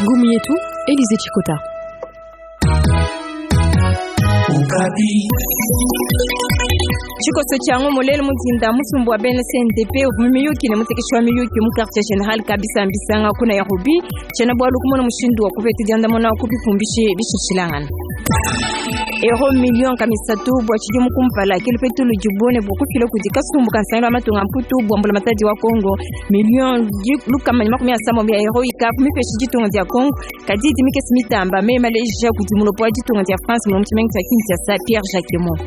Ngumu yetu Elize Chikota. Tshikoso tshia ngumu lelu mudinda musumbu wa bena CNDP uvua mu miyuki ne mutekeshi wa miyuki mu quartier general ka bisambisanga ku Nairobi. Tshiena bualu kumona mushindu wa kupeta diandamuna ku bipumbishi bishilashilangana. Euro million kamisatu bua tshidimu kumpala ke lupetu ludibu ne bua kufila kudi kasumbu ka nsangilu wa matunga mputu bua mbulamatadi wa Congo. Million 137 ya euro ikavu mipesha ditunga dia Congo kadi idi mikese mitamba meyi maleja kudi mulopo wa ditunga dia France mu tshimenga tshia Kinshasa Pierre Jacquemot.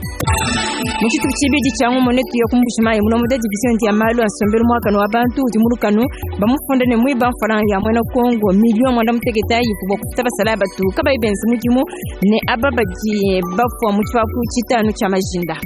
Mu tshitupa tshibidi tshia ngumu netuye ku Mbuji-Mayi mulombola division dia malu a nsombelu muakane wa bantu udi mu lukanu bamufunda ne muiba mfranga ya muena Congo million 90 bua kufuta basalayi batu kabayi benza mudimu ne aba badi bafua mu tshipapu tshitanu tshia majinda.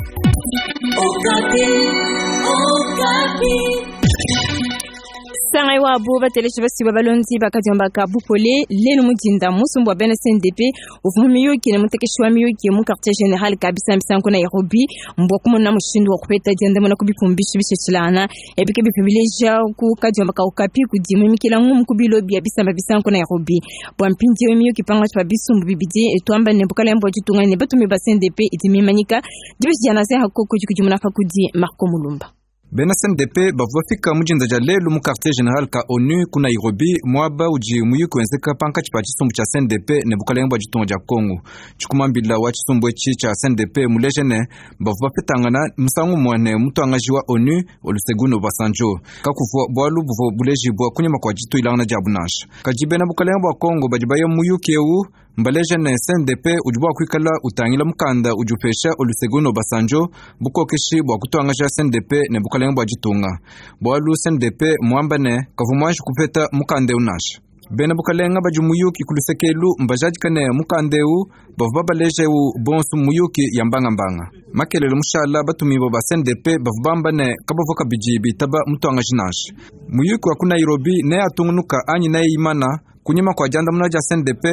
Sangai wabo bateleshi basiba balondi bakadiomba ka bupole lelu mudinda musumbu wa bena CNDP uvua mu miyuki ne mutekeshi wa miyuki mu quartier general ka bisambisa ku Nairobi mbua kumona mushindu wa kupeta diandamuna ku bipumbishi bishilashilangana ebike bipibileja ku kadiomba ka Okapi kudi mimikila ngumu ku bilo bia bisamba bisa ku Nairobi bua mpindieu miyuki pangatshi pa bisumbu bibidi etuamba ne bukalenge bua ditunga ne batumi ba CNDP idi mimanyika dibeji dia Nazer Hakoko dikudimuna pa kudi Marco Mulumba. Bena CNDP bavua bafika mu dinda dia lelu mu quartier general ka ONU ku Nairobi, muaba udi muyuki wenzeka pankatshi pa tshisumbu tshia CNDP ne bukalenge bua ditunga dia Congo. Tshikumambila wa tshisumbu etshi tshia CNDP muleje ne bavua bapetangana musangu umue ne mutuangaji wa ONU Olusegun Obasanjo. Kakuvua bualu buvua bulejibua kunyima kua dituilangana diabu nansha. Kadi bena bukalenge bua Congo badi baya mu muyuki eu mbaleje ne CNDP udi bua kuikala utangila mukanda udi upesha Olusegun Obasanjo bukokeshi bua kutuangaja CNDP ne bukalenge bua ditunga. Bualu CNDP muamba ne kavua muanji kupeta mukanda eu nansha. Bena bukalenga badi muyuki ku lusekelu mbajadika ne mukanda eu bavua babaleja eu bonso muyuki ya mbangambanga. Makelele mushala batumibua ba CNDP bavua bamba ne kabavua kabidi bitaba mutuangaji nansha. Muyuki wa ku Nairobi neatungunuka anyi neimana kunyima kua diandamuna dia CNDP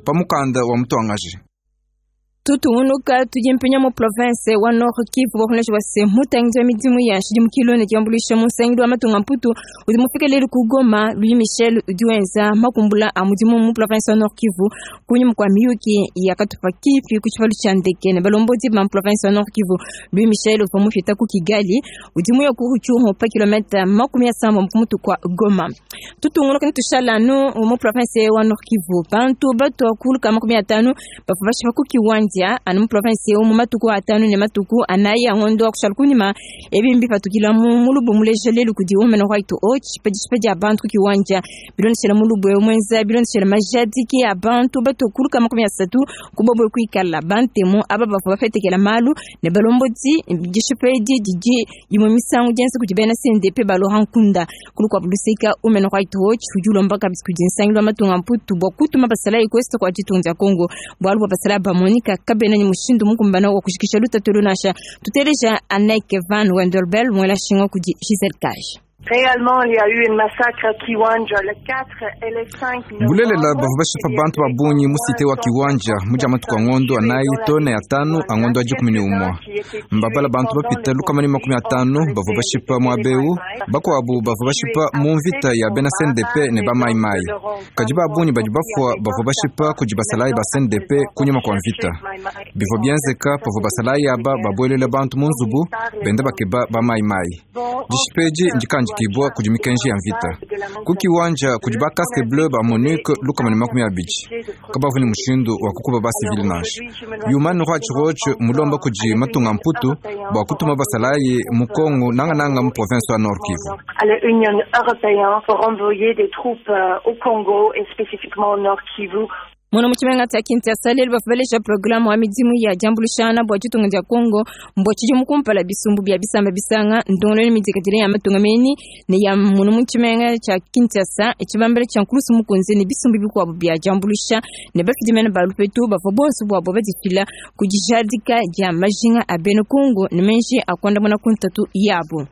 pa mukanda wa mutuangaji. Tutungunuka tudi mpinya mu province wa Nord Kivu bakunesha base mutangidi wa midimu ya nshidimukilu ne diambuluisha mu nsangilu wa matunga mputu udi mufike lelu ku Goma. Louis Michel udi wenza makumbula a mudimu mu province wa Nord Kivu kunyima kua miyuki ya katupa kipi ku tshipalu tshia ndeke ne balombodi ba province wa Nord Kivu. Louis Michel uvua mupita ku Kigali udi muya ku Rutshuru pa kilomita 70 ku mutu kua Goma. Tutungunuka ne tushala anu mu province wa Nord Kivu bantu batua kuluka 50 bavua bashipa ku Kiwanja anu mu province eu mu matuku atanu ne matuku anayi a ngondo wa kushala kunyima. Ebi mbipatukila mu mulubu muleja lelu kudi Human Rights Watch pa dishipa dia bantu ku Kiwanja bilondeshela mulubu eu muenza bilondeshela majadiki a bantu batua kuluka 30 kubobwe kuikala bantemu aba bavua bapetekela malu ne balombodi. Dishipa edi didi imue misangu dienza kudi bena CNDP ba Laurent Nkunda. Kulukuabu luseka Human Rights Watch udi ulomba kabidi kudi nsangilu wa matunga mputu bua kutuma basalayi ku est kua ditunga dia Congo bualu bua basalayi bamonika kabena ne mushindu mukumbana wa kujikisha lutatu nansha. Tuteleja Anneke Van Wendelbel muela shinga kudi Giselle Cage. Réellement, il y a eu un massacre à Kiwanja le 4 et le 5 Bulelela bavua bashipa bantu ba bungi mu cité wa Kiwanja mu dia matuku a ngondo anayi to ne atanu a ngondo wa 11. Mbabala bantu bapita 150 bavua bashipa muaba eu, bakuabu bavua bashipa mu mvita ya bena CNDP ne ba Mai Mai. Kadi ba bungi badi bafua bavua bashipa kudi basalayi ba CNDP kunyima kua mvita. Bivua bienzeka pavua basalayi aba babuelela bantu mu nzubu benda bakeba ba Mai Mai. Dishipa edi ndikandikibua kudi mikenji ya mvita. Ku Kiwanja kudi ba casque bleu ba MONUC 120. Kabavua ne mushindu wa kukuba ba civil nansha. Human Rights Watch mulomba kudi matunga mputu bua kutuma basalayi mu Congo nangananga mu province wa Nord Kivu. À l'Union européenne pour envoyer des troupes au Congo et spécifiquement au Nord Kivu. Muno mu tshimenga tshia Kinshasa lelu bavua baleja programme wa midimu ya diambuluishana bua ditunga dia Congo mbua tshidimu kumpala bisumbu bia bisamba bisanga ndongoluelu midikadile ya matunga menyi ne ya muno mu tshimenga tshia Kinshasa tshibambela tshia nkulusu mukunze ne bisumbu bikuabu bia diambuluisha ne bafidi mene ba lupetu bavua bonso buabo badifila ku dijadika dia majinga a bena Congo ne menji a kuandamuna ku ntatu yabo.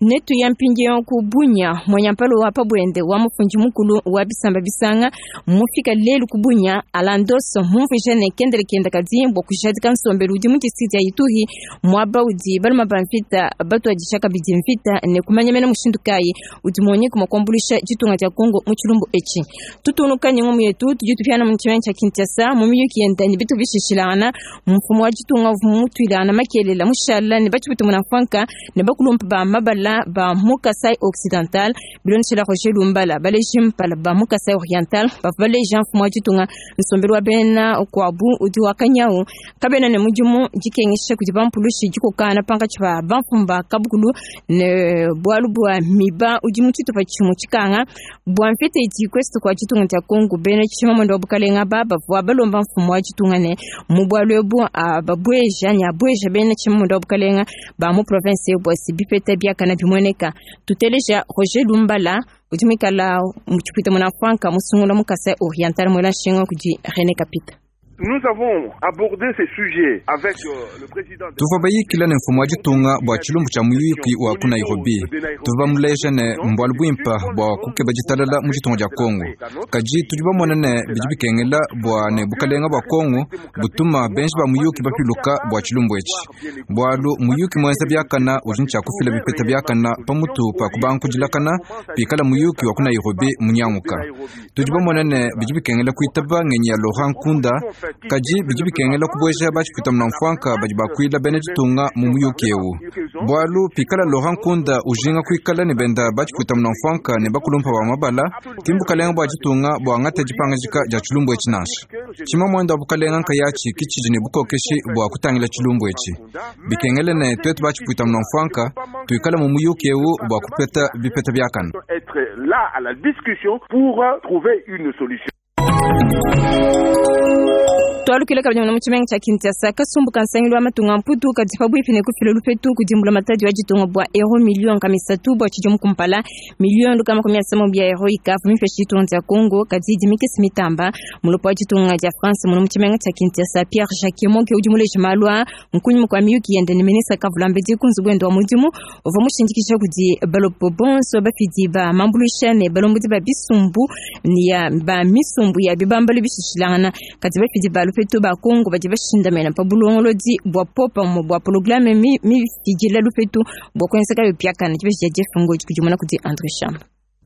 Netu ya mpindieu ku Bunia mwanyampalo wa pabwende wa mufundi mukulu wa bisamba bisanga mufika lelu ku Bunia Alandos mumvuije ne kendele kenda kadi bua kujadika nsombelu udi mu district ya Ituri muaba udi baluma ba mvita batuadija kabidi mvita ne kumanya mena mushindu kayi udi MONUC mua kuambuluisha ditunga dia Congo mu tshilumbu etshi. Tutungunuka ne ngumu yetu tudi tupiana mu tshimenga tshia Kinshasa mu miyuki yenda ne bitu bishishilangana mfumu wa ditunga uvua mutuilangana makelela mushala ne batshipute munamfuanka ne bakulumpa ba mabala ba mu Kasai Occidental bilondeshela Roger Lumbala baleji mpala ba mu Kasai Oriental bavua baleja mfumu wa ditunga nsombelu wa bena kuabu udi wakanyau kabena ne mudimu dikengesha kudi bampulushi dikokana pankatshi pa bamfumu ba kabukulu ne bualu bua miba udi mu tshitupa tshimue tshikanga bua mvita idi ku est kua ditunga dia Congo. Bena tshimamuende wa bukalenga ba bavua balomba mfumu wa ditunga ne mu bualu ebu ababueja ne abueja bena tshimamuende wa bukalenga ba mu province bua se bipeta biakana bimueneka. Tuteleja Roger Lumbala udi muikala mu tshipwita munamfuanka musungula mu Kasai Oriental muela nshinga kudi René Kapita. Nous avons abordé ces sujets avec le président. Tuvua bayikila ne mfumu wa ditunga bua tshilumbu tshia muyuki wa ku Nairobi. Tuvua bamuleja ne mbualu buimpa bua kukeba ditalala mu ditunga dia Congo. Kadi tudi bamona ne bidi bikengela bua ne bukalenga bua Congo butuma benji ba muyuki bapiluka bua tshilumbu etshi. Bualu muyuki muenza biakana udi ne tshia kufila bipeta biakana pamutu pa kubanga kudilakana pikala muyuki wa ku Nairobi munyanguka. Tudi bamona ne bidi bikengela kuitaba ngenyi ya Laurent Nkunda. Kadi bidi bikengela kubueja batshipwita munamfuanka badi bakuila bena ditunga mu muyuki ewu. Bualu pikala Laurent Nkunda ujinga kuikala ne benda batshipwita munamfuanka ne bakulumpa ba mabala, ki mbukalenga bua ditunga bua ngata dipangajika dia tshilumbu etshi nansha. Tshimamuende wa bukalenga nkayatshi ki tshidi ne bukokeshi bua kutangila tshilumbu etshi. Bikengele ne tuetu batshipwita munamfuanka tuikala mu muyuki ewu bua kupeta bipeta biakana. Être là à la discussion pour trouver une solution. Twalukile kabidi mu tshimenga tshia Kinshasa kasumbu ka nsangilu wa matunga mputu kadi pabuipi ne kufila lupetu kudimbula matadi wa ditunga bua euro million kamisatu bua tshidimu kumpala million lukama makumi asambombo bia euro ikavu mipesha ditunga dia Congo kadi dimikisi mitamba mulopo wa ditunga dia France muno mu tshimenga tshia Kinshasa Pierre Jacques Monke udi muleja malu a nkunyima kua miyuki yende ne ministre Kavulambedi ku nzubu wende wa mudimu uvua mushindikisha kudi balopo bonso bafidi ba mambuluisha ne balombodi ba bisumbu ya ba misumbu ya bibambalu bishishilangana kadi bafidi ba lupetu ba Congo badi bashindamena pa bulongolodi bua popa mu bua programme mifidila lupetu bua kuenzeka bipiakana dibeji dia Jeff Ngodi kudimona kudi André Chamba.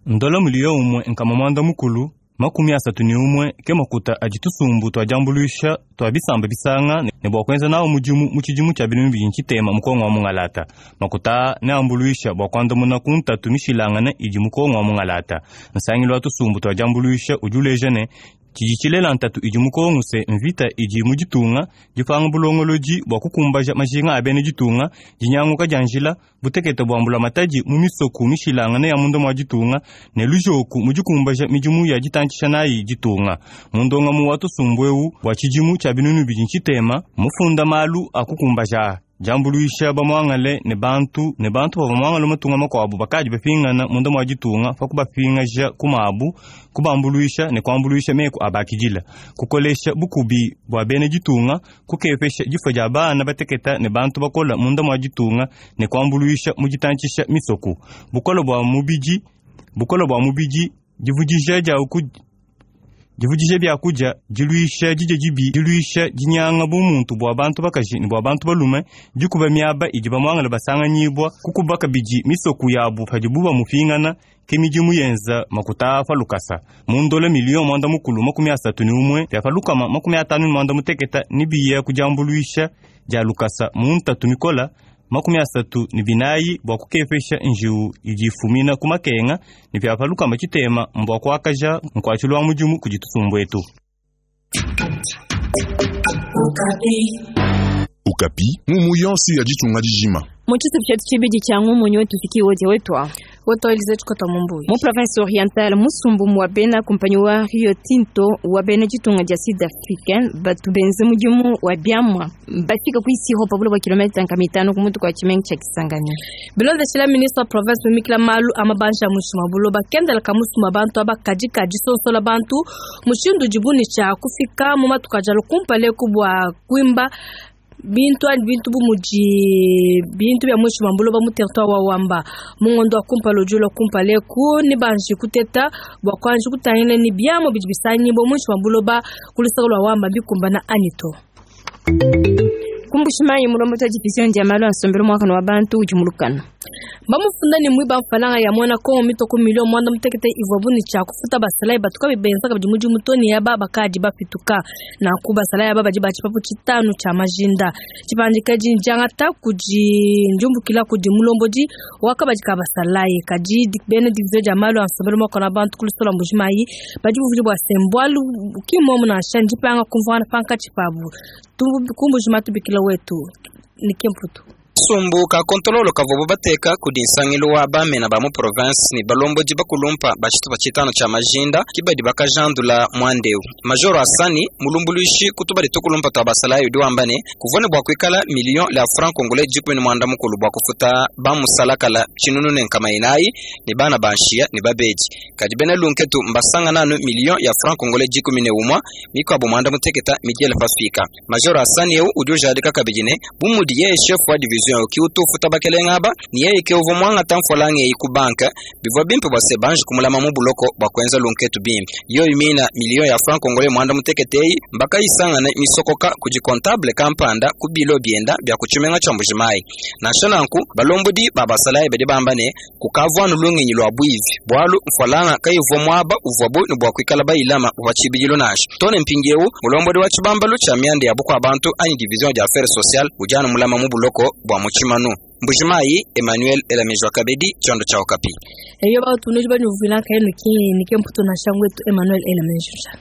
Ndola mulio umwe nkama mwanda mukulu 31 ke makuta adi tusumbu twajambuluisha twa bisamba bisanga ne bua kuenza nawo mudimu mu tshidimu tshia binunu bidi ntshitema mukongo wa mungalata. Makuta ne ambuluisha bua kuandamuna ku ntatu mishilangane idi mukongo wa mungalata. Nsangilu wa tusumbu twajambuluisha udi uleja ne tshidi tshilela ntatu idi mukongo se mvita idi mu ditunga dipanga bulongolodi bua kukumbaja majinga a bena ditunga dinyanguka dia njila butekete bua mbulamatadi mu misoku mishilangane ya munda mua ditunga ne lujoku mu dikumbaja midimu ya ditantshisha nayi ditunga. Mundongamu wa tusumbu ewu bua tshidimu tshia binunu bidi ntshitema mufunda malu a kukumbaja jambuluisha bamuangale ne bantu bava muangale matunga makuabu bakadi bapingana munda mua ditunga pa kubapingaja kumabu kubambuluisha ne kuambuluisha meku abakidila kukolesha bukubi bua bena ditunga kukepesha difua dia bana bateketa ne bantu bakola munda mua ditunga ne kuambuluisha mu ditantshisha misoku bukolo bua mubidi divudija dia divudija byakudia diluisha didya dibi diluisha dinyanga bumuntu bua bantu bakaji ne bua bantu balume dikuba miaba idi bamuangala basanganyibwa kukuba kabidi misoku yabu padibu bamupingana ke midimu yenza makuta pa lukasa mundola miliyo 31 bya pa lukama 58 ni biya kujambuluisha dia lukasa muntatu mikola 34 bua kukepesha njiwu idi ifumina ku makenga ne bya pa lukama tshitema mbua kuakaja nkuatshilo wa mudimu kudi tusumbu etu. Okapi ngumu yonso ya ditunga dijima. Mu tshisabu tshietu tshibidi tshia ngumu nyo tufiki wodi wetwa. Woto Elize Tshikota Mumbuyi. Mu province orientale musumbu wa bena kumpanyi wa Rio Tinto wa bena ditunga dia Sud Africain batu benze mudimu wa biamwa bafika ku isiro pa buloba kilomita 5 ku mutu kwa tshimenga tshia Kisangani. Bilondeshila ministre wa province mumikila malu a mabanja mushima buloba kendela ka musumba bantu aba kadikadi sosola bantu mushindu dibuni tshia kufika mu matuka dia lukumpale ku bua kuimba. Bintu anyi bintu bu mudi bintu bia muinshi mua buloba mu territoire wa Wamba. Mu ngondo wa kumpala udi ulua kumpala eku nebanji kuteta bua kuanji kutangila ni biamu bidi bisangibua muinshi mua buloba ku luseke lua Wamba bikumbana anyi to. Ku Mbuji-Mayi, mulombodi wa division dia malu a nsombelu muakane wa bantu udi mu lukanu. Bamufunda ne muiba mfalanga ya muena Kongo mitue ku miliyo muanda mutekete ivuabu ne tshia kufuta basalayi batu kabayi benza kabidi mudimu to ne aba bakadi bapituka. Nanku basalayi aba badi ba tshipapu tshitanu tshia majinda. Tshipandika edi ndiangata kudi ndiumbukila kudi mulombodi wa kabadi ka basalayi. Kadi bena division dia malu a nsombelu muakane wa bantu ku luseke lua Mbuji-Mayi badi bumvuija bua se, mbualu ki mmuomu nansha, ndipanga kumvuangana pankatshi pabu. Ku Mbuji-Mayi tubikila wetu Nike Mputu. Kasumbu ka kontololo kavuabu bateka kudi nsangilu wa bamena ba mu province ne balombodi bakulumpa ba tshitupa tshitanu tshia majinda ke badi bakajandula muanda eu. Majoro Assani, mulumbuluishi ku tubadi tukulumpa tua basalayi udi wamba ne, kuvua ne bua kuikala miliyo lya franc congolais 18 bua kufuta ba musalakala 1400 ne bana ba nshiya ne babedi. Kadi bena lunketu mbasangana anu miliyo ya franc congolais 11, mikuabu 16 midiela pasuika. Majoro Assani eu udi ujadika kabidi ne, bu mudi yeye chef wa division ki utu ufuta bakelenge aba, ne yeye ke uvua muangata mfualanga eyi ku banke, bivua bimpe bua se banji kumulama mu buloko bua kuenza lunketu bimpe. Yoyi mina miliyo ya franc congolais 16 eyi mbakayisangane misokoka kudi comptable kampanda ku bilo bienda bia ku tshimenga tshia Mbuji-Mayi. Nansha nanku, balombodi ba basalayi badi bamba ne, kukavua anu lungenyi lua buivi, bualu mfualanga kayivua muaba uvuabu ne bua kuikala bayilama pa tshibidilu nansha. Too ne mpindieu, mulombodi wa tshibambalu tshia mianda ya bukua-bantu anyi division des affaires sociales udi anu mulama mu buloko bua mu tshimanu. Mbuji-Mayi, Emmanuel Elamejwa Kabedi, tshiondo tshia Okapi. Eyo batu nudi banyuvila nkayenu ki nike mputu nansha ngwetu Emmanuel Elamejwa.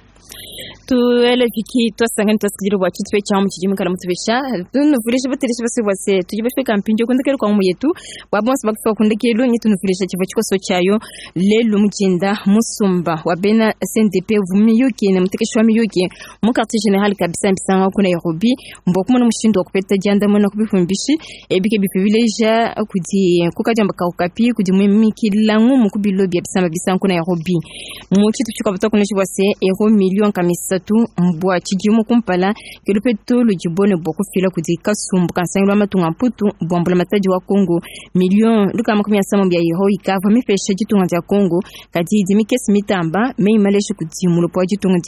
Tuele viki twasangani twasikidile bua tshitupe tshia mu tshidi mukala mutubesha tunuvulisha batelesha basi bua se tudi bafika mpindieu kundekelu kwa mu yetu bua bonso bakufika kundekelu nyi tunuvulisha tshivua tshikoso tshiayo lelu mujinda musumba wa bena CNDP vumiyuki ne mutekeshi wa miyuki mu quartier general kabisa mbisanga ku Nairobi mbua kumona mushindu wa kupeta diandamuna ku bifumbishi ebike bipibileja kudi kukadiamba kaukapi kudi mwimikila ngumu ku bilo bia bisamba bisanga ku Nairobi mu tshitu tshikabata kuneshi bua se euro million kamisatu mbua tshidimu kumpala kelupetu ludibone bua kufila kudi kasumbu kansangilu wa matunga mputu bua mbulamatadi wa Kongo million lukama kumi asama bia euro ikavua mipesha ditunga dia Kongo kadi idi mikese mitamba meimaleshe kudi mulopo wa ditunga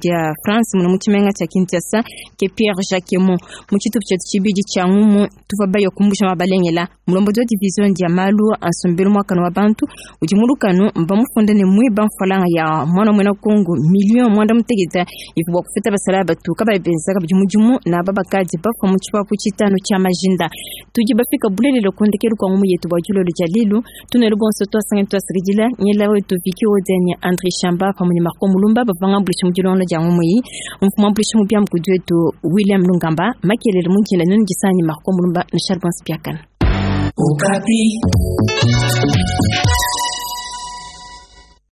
dia France muno mu tshimenga tshia Kinshasa ke Pierre Jacquemont mu tshitupu tshietu tshibidi tshia ngumu tuvua bayo kumbusha mabalengela mulombodi wa division dia malu a nsombelu muakane wa bantu udi mu lukanu mbamufunde ne mwiba mfalanga ya mwana muena Kongo million mwanda muteketa ivu bua kufuta basala batu kabayi benza kabidi mudimu na aba bakadi bafua mu tshipapu tshitanu tshia majinda. Tudi bafika bulelelo kundekelu kwa ngumu yetu bua dilolo dia lelu tunelu bonso twasangani twasakidila nyela wetu Viki Odenya André Chamba pamue ne Marco Mulumba bavanga mbulisha mu dilonga dia ngumu iyi mfumu ambulisha mu biamu kudi wetu William Lungamba makelele mu njila nunu disanyi Marco Mulumba na Charles Piakana. Okapi.